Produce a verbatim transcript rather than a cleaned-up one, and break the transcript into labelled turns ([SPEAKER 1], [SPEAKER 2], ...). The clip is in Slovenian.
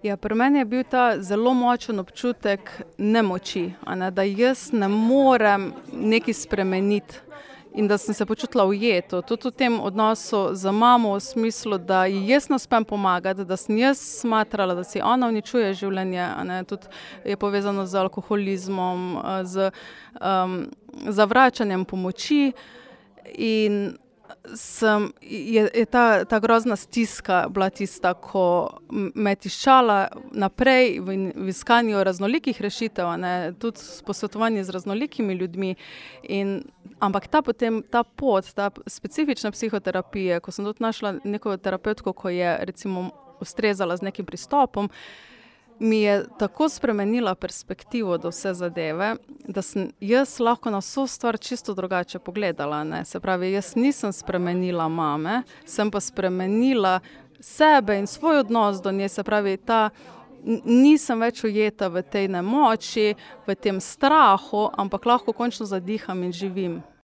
[SPEAKER 1] Ja, pri meni je bil ta zelo močen občutek nemoči, a ne, da jaz ne morem nekaj spremeniti in da sem se počutila ujeto. Tudi v tem odnosu z mamo v smislu, da ji jaz ne uspem pomagati, da sem jaz smatrala, da si ona uničuje življenje, a ne, tudi je povezano z alkoholizmom, z um, zavračanjem pomoči in sem, je, je ta, ta grozna stiska bila tista, ko me je tiščala naprej v, v iskanju raznolikih rešitev, a ne, tudi posvetovanje z raznolikimi ljudmi. In, ampak ta potem, ta pot, ta specifična psihoterapija, ko sem tudi našla neko terapevtko, ko je recimo ustrezala z nekim pristopom, mi je tako spremenila perspektivo do vse zadeve, da sem jaz lahko na vso stvar čisto drugače pogledala, ne. Se pravi, jaz nisem spremenila mame, sem pa spremenila sebe in svoj odnos do nje, se pravi, ta, nisem več ujeta v tej nemoči, v tem strahu, ampak lahko končno zadiham in živim.